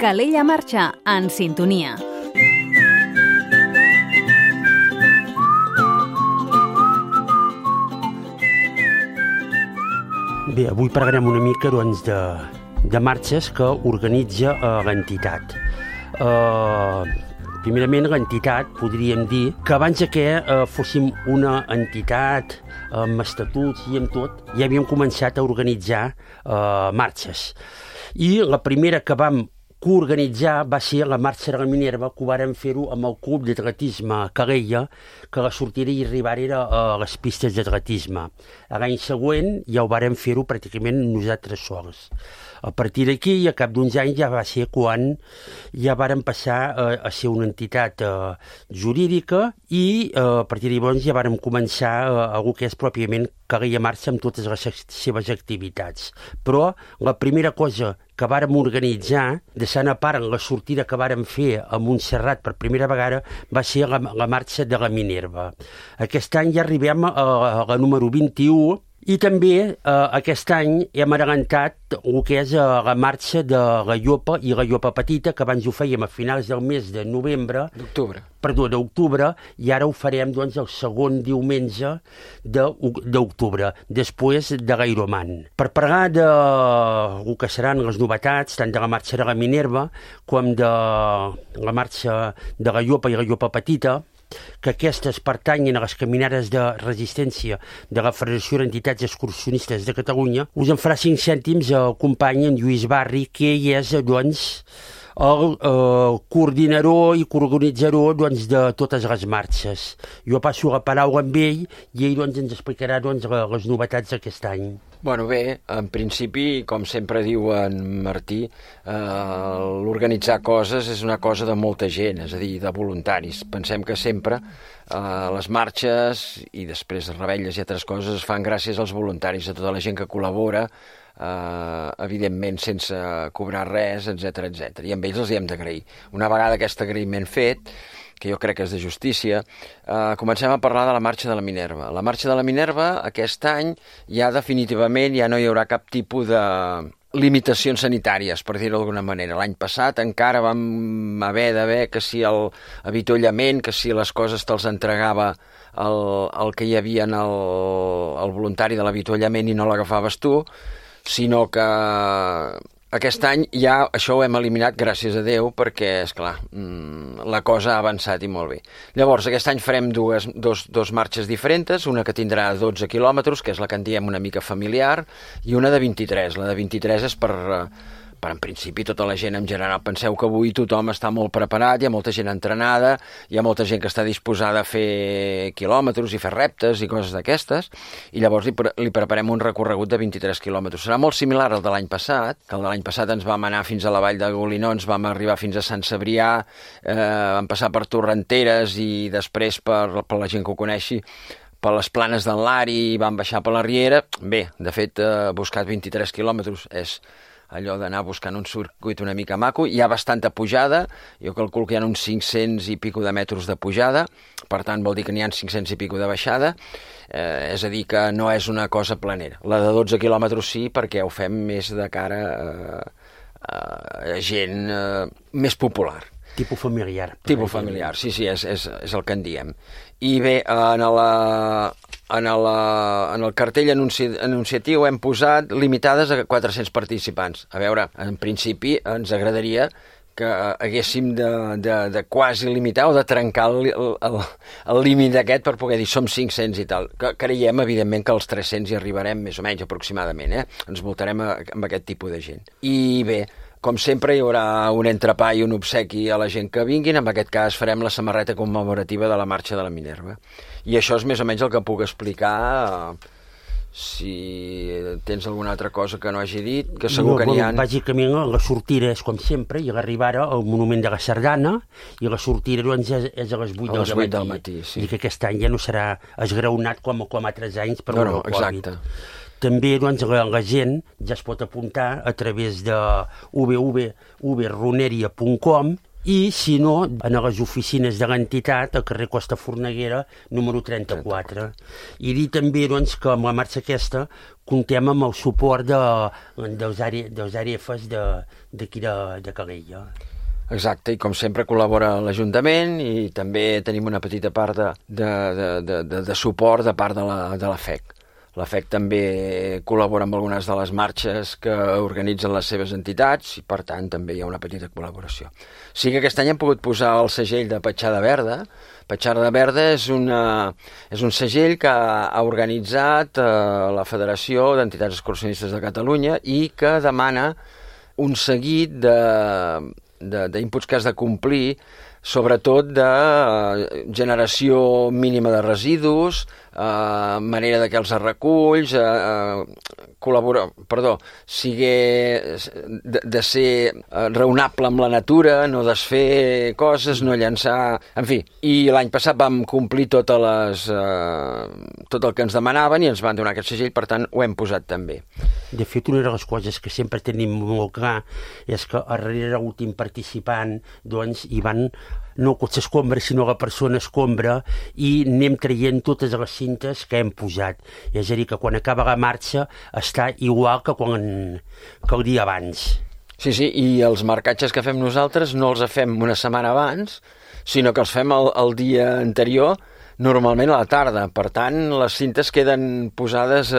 Calella Marxa, en sintonia. Bé, avui parlarem una mica doncs, de marxes que organitza l'entitat. Primerament, l'entitat, podríem dir, que abans que fóssim una entitat amb estatuts i amb tot, ja havíem començat a organitzar marxes. I la primera que vam coorganitzar va ser la marxa de la Minerva, que ho vàrem fer-ho amb el club d'atletisme Calella, que la sortida i arribar era a les pistes d'atletisme. L'any següent ja ho vàrem fer-ho pràcticament nosaltres sols. A partir d'aquí, a cap d'uns anys, ja va ser quan ja vàrem passar a ser una entitat jurídica i a partir de llavors ja vàrem començar a el que és pròpiament Calella Marxa amb totes les seves activitats. Però la primera cosa que vàrem organitzar, deixant a part la sortida que vàrem fer a Montserrat per primera vegada, va ser la marxa de la Minerva. Aquest any ja arribem a la número 21 i també aquest any hem adelantat el que és la marxa de la Llopa i la Llopa Petita, que abans ho fèiem a finals del mes de novembre. D'octubre, i ara ho farem doncs, el segon diumenge d'octubre, després de l'Ironman. Per parlar de el que seran les novetats, tant de la marxa de la Minerva com de la marxa de la Llopa i la Llopa Petita, que aquestes pertanyen a les caminades de resistència de la Federació d'Entitats Excursionistes de Catalunya, us en farà 5 cèntims el company en Lluís Barri, que ell és doncs, el coordinador i coorganitzador doncs, de totes les marxes. Jo passo la paraula amb ell i ell doncs, ens explicarà doncs, les novetats d'aquest any. Bueno, bé, en principi, com sempre diu en Martí, l'organitzar coses és una cosa de molta gent, és a dir, de voluntaris. Pensem que sempre les marxes i després les revetlles i altres coses es fan gràcies als voluntaris, a tota la gent que col·labora, evidentment sense cobrar res, etc etc. I amb ells els hi hem d'agrair. Una vegada aquest agraïment fet, que jo crec que és de justícia, comencem a parlar de la marxa de la Minerva. La marxa de la Minerva, aquest any, ja definitivament ja no hi haurà cap tipus de limitacions sanitàries, per dir-ho d'alguna manera. L'any passat encara vam haver que si l'avituallament, que si les coses te'ls entregava el que hi havia en el voluntari de l'avituallament i no l'agafaves tu, sinó que aquest any ja això ho hem eliminat, gràcies a Déu, perquè, esclar, la cosa ha avançat i molt bé. Llavors, aquest any farem dos marxes diferents, una que tindrà 12 quilòmetres, que és la que en diem una mica familiar, i una de 23. La de 23 és per en principi tota la gent en general. Penseu que avui tothom està molt preparat, hi ha molta gent entrenada, hi ha molta gent que està disposada a fer quilòmetres i fer reptes i coses d'aquestes, i llavors li preparem un recorregut de 23 quilòmetres. Serà molt similar al de l'any passat, que el de l'any passat ens vam anar fins a la vall de Golinons, vam arribar fins a Sant Cebrià, vam passar per Torrenteres i després, per la gent que ho coneixi, per les planes d'en Lari i vam baixar per la Riera. Bé, de fet, buscar 23 quilòmetres és allò d'anar buscant un circuit una mica maco. Hi ha bastanta pujada, jo calculo que hi ha uns 500 i pico de metres de pujada, per tant vol dir que n'hi ha 500 i pico de baixada, és a dir que no és una cosa planera. La de 12 quilòmetres sí, perquè ho fem més de cara a gent més popular. Tipus familiar. Tipus familiar, sí, és el que en diem. I bé, en el cartell anunciatiu hem posat limitades a 400 participants. A veure, en principi ens agradaria que haguéssim de quasi limitar o de trencar el límit aquest per poder dir som 500 i tal. Creiem, evidentment, que als 300 hi arribarem més o menys aproximadament, Ens voltarem amb aquest tipus de gent. I bé, com sempre, hi haurà un entrepà i un obsequi a la gent que vinguin. En aquest cas farem la samarreta commemorativa de la marxa de la Minerva. I això és més o menys el que puc explicar. Si tens alguna altra cosa que no hagi dit, que segur que n'hi ha. Bàsicament, la sortida és com sempre, i l'arribada al Monument de la Sardana, i la sortida doncs, és a les 8 del matí. Sí. I que aquest any ja no serà esgraonat com altres anys per el Covid. Exacte. També doncs, la gent ja es pot apuntar a través de www.roneria.com i, si no, a les oficines de l'entitat, al carrer Costa Forneguera, número 34. I dir també doncs, que amb la marxa aquesta comptem amb el suport dels ARFs d'aquí de Calella. Exacte, i com sempre col·labora l'Ajuntament i també tenim una petita part de suport de part de la FEC. La FEC també col·labora amb algunes de les marxes que organitzen les seves entitats i, per tant, també hi ha una petita col·laboració. Sí que aquest any hem pogut posar el segell de Petjada Verda. Petjada Verda és un segell que ha organitzat la Federació d'Entitats Excursionistes de Catalunya i que demana un seguit d'inputs que has de complir, sobretot de generació mínima de residus, manera de què els reculls, de ser raonable amb la natura, no desfer coses, no llançar... En fi, i l'any passat vam complir tot el que ens demanaven i ens van donar aquest segell, per tant, ho hem posat també. De fet, una de les coses que sempre tenim molt clar és que darrere l'últim participant doncs, hi van no cotxe escombra, sinó la persona escombra, i anem traient totes les cintes que hem posat. És a dir, que quan acaba la marxa està igual que el dia abans. Sí, i els marcatges que fem nosaltres no els fem una setmana abans, sinó que els fem el dia anterior, normalment a la tarda. Per tant, les cintes queden posades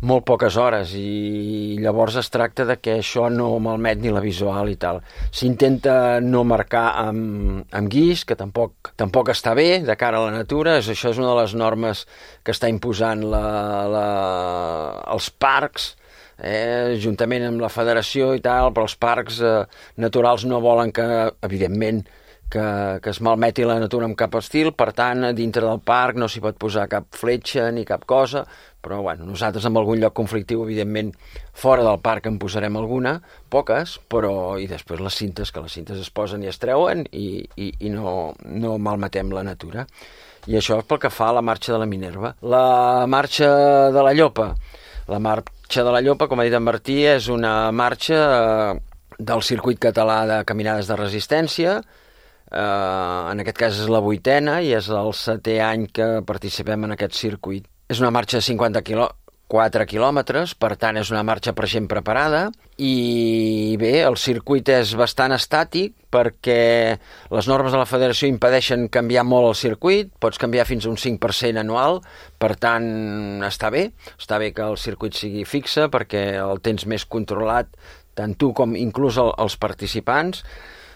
molt poques hores i llavors es tracta de que això no malmet ni la visual i tal. S'intenta no marcar amb guix, que tampoc està bé de cara a la natura. Això és una de les normes que està imposant els parcs, juntament amb la federació i tal, però els parcs naturals no volen que, evidentment, que es malmeti la natura amb cap estil, per tant, dintre del parc no s'hi pot posar cap fletxa ni cap cosa, però bueno, nosaltres en algun lloc conflictiu, evidentment, fora del parc en posarem alguna, poques, però i després les cintes es posen i es treuen i no malmetem la natura. I això és pel que fa a la marxa de la Minerva. La marxa de la Llopa. La marxa de la Llopa, com ha dit en Martí, és una marxa del circuit català de caminades de resistència. En aquest cas és la 8a i és el 7è any que participem en aquest circuit. És una marxa de 54 quilòmetres, per tant és una marxa per gent preparada i bé, el circuit és bastant estàtic perquè les normes de la federació impedeixen canviar molt el circuit, pots canviar fins a un 5% anual, per tant està bé que el circuit sigui fixe perquè el tens més controlat, tant tu com inclús els participants.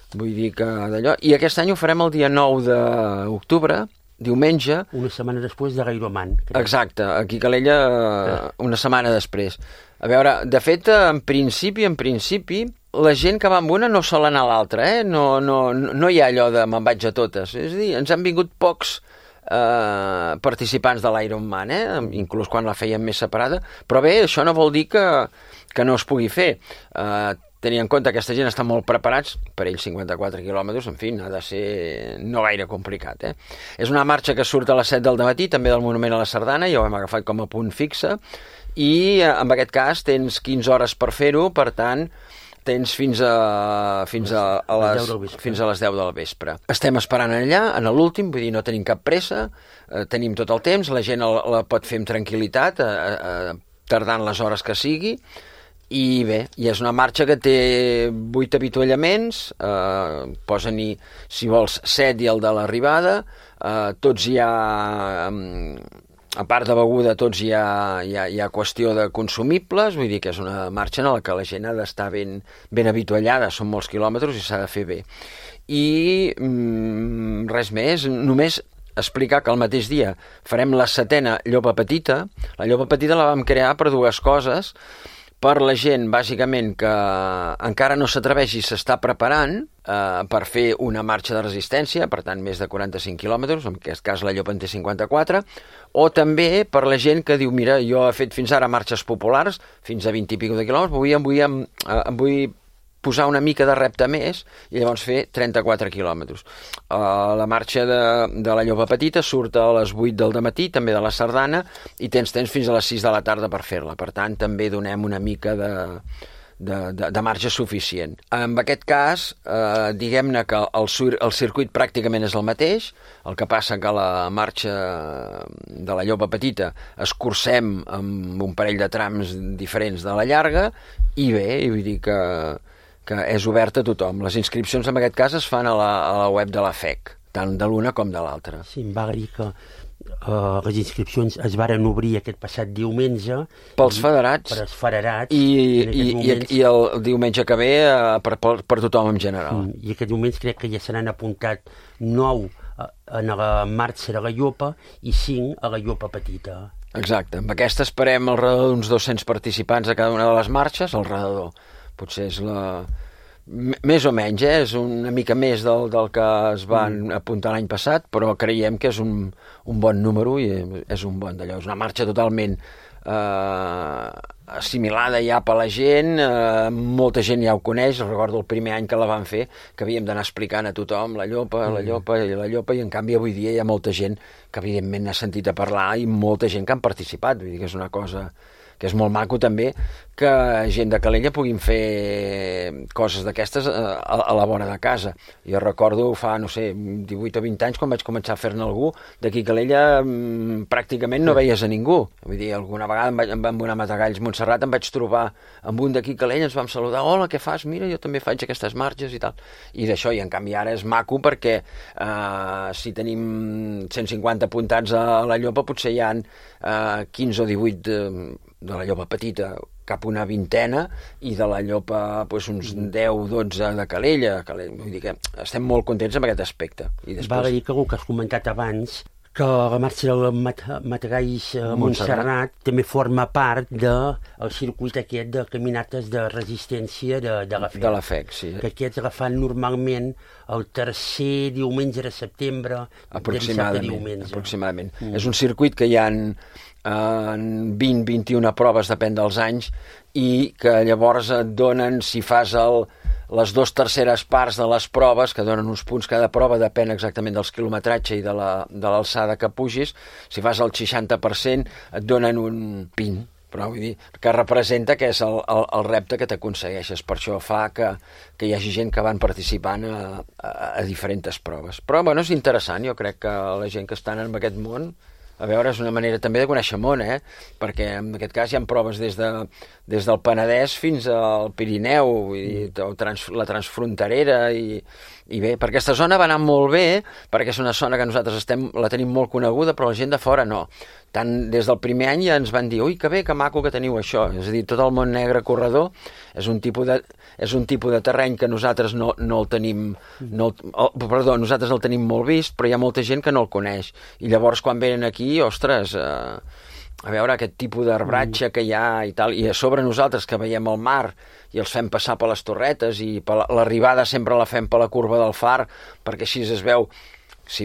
Vull dir que d'allò... I aquest any ho farem el dia 9 d'octubre, diumenge. Una setmana després de l'Ironman. Exacte, aquí a Calella una setmana després. A veure, de fet, en principi, la gent que va amb una no sol anar a l'altra, No hi ha allò de me'n vaig a totes. És a dir, ens han vingut pocs participants de l'Ironman, inclús quan la fèiem més separada, però bé, això no vol dir que no es pugui fer. Tenir en compte que aquesta gent està molt preparats, per ells 54 quilòmetres, en fi, ha de ser no gaire complicat. És una marxa que surt a les 7 del matí, també del Monument a la Sardana, ja ho hem agafat com a punt fixe, i en aquest cas tens 15 hores per fer-ho, per tant, tens fins a les 10 del vespre. Estem esperant allà, en l'últim, vull dir, no tenim cap pressa, tenim tot el temps, la gent la pot fer amb tranquil·litat, tardant les hores que sigui, i bé, i és una marxa que té 8 avituallaments, posen-hi, si vols, 7 i el de l'arribada, tots hi ha, a part de beguda, tots hi ha qüestió de consumibles, vull dir que és una marxa en la que la gent ha d'estar ben avituallada, són molts quilòmetres i s'ha de fer bé. I res més, només explicar que el mateix dia farem la 7a Llopa Petita. La Llopa Petita la vam crear per dues coses, per la gent, bàsicament, que encara no s'atreveix i s'està preparant per fer una marxa de resistència, per tant, més de 45 quilòmetres, en aquest cas la Llopa en té 54, o també per la gent que diu, mira, jo he fet fins ara marxes populars, fins a 20 i pico de quilòmetres, em vull posar una mica de repte més i llavors fer 34 quilòmetres. La marxa de la Llopa Petita surt a les 8 del matí, també de la Sardana, i tens temps fins a les 6 de la tarda per fer-la. Per tant, també donem una mica de marge suficient. En aquest cas, diguem-ne que el circuit pràcticament és el mateix, el que passa que la marxa de la Llopa Petita escurcem amb un parell de trams diferents de la llarga, i bé, vull dir que és obert a tothom. Les inscripcions en aquest cas es fan a la web de la FEC, tant de l'una com de l'altra. Sí, em va dir que les inscripcions es varen obrir aquest passat diumenge. Pels federats. Per als federats. I el diumenge que ve per tothom en general. I aquest diumenge crec que ja se n'han apuntat 9 en la marxa de la Llopa i 5 a la Llopa Petita. Exacte. Amb aquesta esperem al redador d'uns 200 participants a cada una de les marxes, al redador. Potser és més o menys, és una mica més del que es van apuntar l'any passat, però creiem que és un bon número i és un bon d'allò. És una marxa totalment assimilada ja per la gent, molta gent ja ho coneix. Recordo el primer any que la van fer, que havíem d'anar explicant a tothom la Llopa, i en canvi avui dia hi ha molta gent que evidentment n'ha sentit a parlar i molta gent que han participat. Vull dir que és una cosa que és molt maco també que gent de Calella puguin fer coses d'aquestes a la vora de casa. Jo recordo fa, no sé, 18 o 20 anys quan vaig començar a fer-ne algú, d'aquí a Calella pràcticament no veies a ningú. Vull dir, alguna vegada em van anar a Matagalls, Montserrat, em vaig trobar amb un d'aquí a Calella, ens vam saludar, hola, què fas? Mira, jo també faig aquestes marxes i tal. I d'això, i en canvi ara és maco perquè si tenim 150 apuntats a la Llopa, potser hi ha 15 o 18 de la Llopa Petita, cap una vintena, i de la Llopa uns 10-12 de Calella. Vull dir que estem molt contents amb aquest aspecte. I després... Val a dir que el que has comentat abans, que la marxa del Matagalls Montserrat també forma part del circuit aquest de caminates de resistència de la FEC. De la FEC, sí. Que aquests la fan normalment el tercer diumenge de setembre, aproximadament. És un circuit que hi ha 20-21 proves, depèn dels anys, i que llavors et donen, si fas les 2/3 parts de les proves, que donen uns punts cada prova, depèn exactament dels quilometratge i de l'alçada que pugis, si fas el 60% et donen un pin, però vull dir, que representa que és el repte que t'aconsegueixes. Per això fa que hi hagi gent que van participant a diferents proves. Però bueno, és interessant, jo crec que la gent que estan en aquest món, a veure, és una manera també de conèixer món, perquè en aquest cas hi ha proves des del Penedès fins al Pirineu, vull dir, la transfronterera, i bé, per aquesta zona va anar molt bé, perquè és una zona que nosaltres la tenim molt coneguda, però la gent de fora no. Tant des del primer any ja ens van dir, ui, que bé, que maco que teniu això. És a dir, tot el Mont Negre corredor és un tipus de terreny que nosaltres no el tenim, nosaltres el tenim molt vist, però hi ha molta gent que no el coneix. I llavors quan venen aquí, ostres, a veure aquest tipus d'arbratge que hi ha i tal, i a sobre nosaltres que veiem el mar i els fem passar per les torretes, i l'arribada sempre la fem per la curva del far, perquè així es veu, si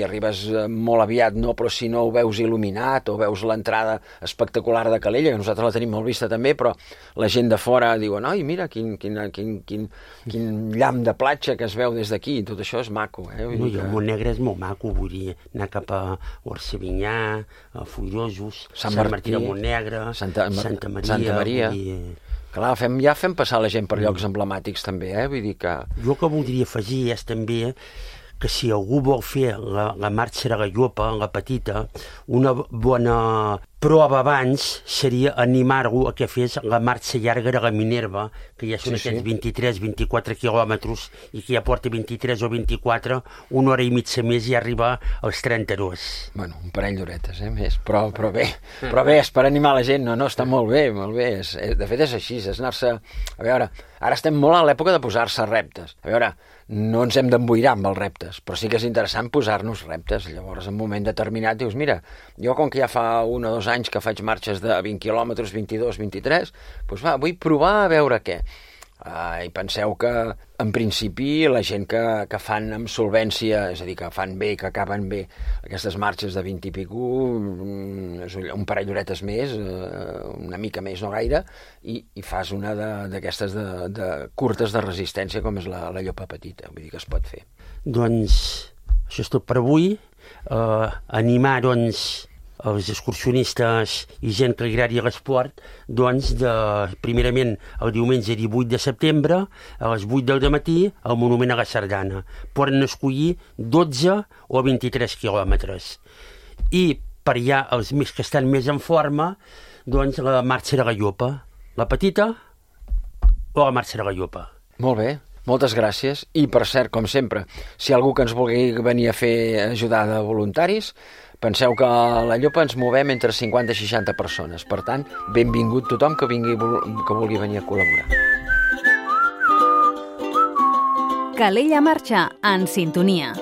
arribes molt aviat no, però si no ho veus il·luminat, o veus l'entrada espectacular de Calella, que nosaltres la tenim molt vista també, però la gent de fora diuen, oi, mira quin llamp de platja que es veu des d'aquí, tot això és maco. El Mont Negre és molt maco, vull dir, anar cap a Orcevinyà, a Foirosos, Sant Martí de Montnegre, Santa Maria. Clar, ja fem passar la gent per llocs emblemàtics també, vull dir que... Jo que voldria afegir és també que si algú vol fer la marxa de la Llopa, la petita, una bona prova abans seria animar-lo a que fes la marxa llarga de la Minerva, que ja són aquests 23-24 quilòmetres, i que ja porta 23 o 24, una hora i mitja més i arriba als 32. Bueno, un parell d'horetes, més, però bé, és per animar la gent, no, està molt bé, de fet és així, és anar-se... A veure, ara estem molt a l'època de posar-se reptes, a veure, no ens hem d'emboirar amb els reptes, però sí que és interessant posar-nos reptes. Llavors, en un moment determinat, dius, mira, jo com que ja fa 1 o 2 anys que faig marxes de 20 quilòmetres, 22, 23, doncs vull provar a veure què. I penseu que, en principi, la gent que fan amb solvència, és a dir, que fan bé, que acaben bé, aquestes marxes de 20 i pico, un parell d'horetes més, una mica més, no gaire, i fas una d'aquestes de curtes de resistència, com és la Llopa Petita, vull dir que es pot fer. Doncs, això és tot per avui. Animar, doncs, els excursionistes i gent que li agradi l'esport, doncs, primerament el diumenge 18 de setembre, a les 8 del matí, al Monument a la Sardana. Poden escollir 12 o 23 quilòmetres. I per allà, els més que estan més en forma, doncs, la marxa de la Llopa. La petita o la marxa de la Llopa. Molt bé. Moltes gràcies. I, per cert, com sempre, si hi ha algú que ens vulgui venir a fer ajudar de voluntaris, penseu que a la Llopa ens movem entre 50 i 60 persones. Per tant, benvingut tothom que vulgui venir a col·laborar. Calella Marxa, en sintonia.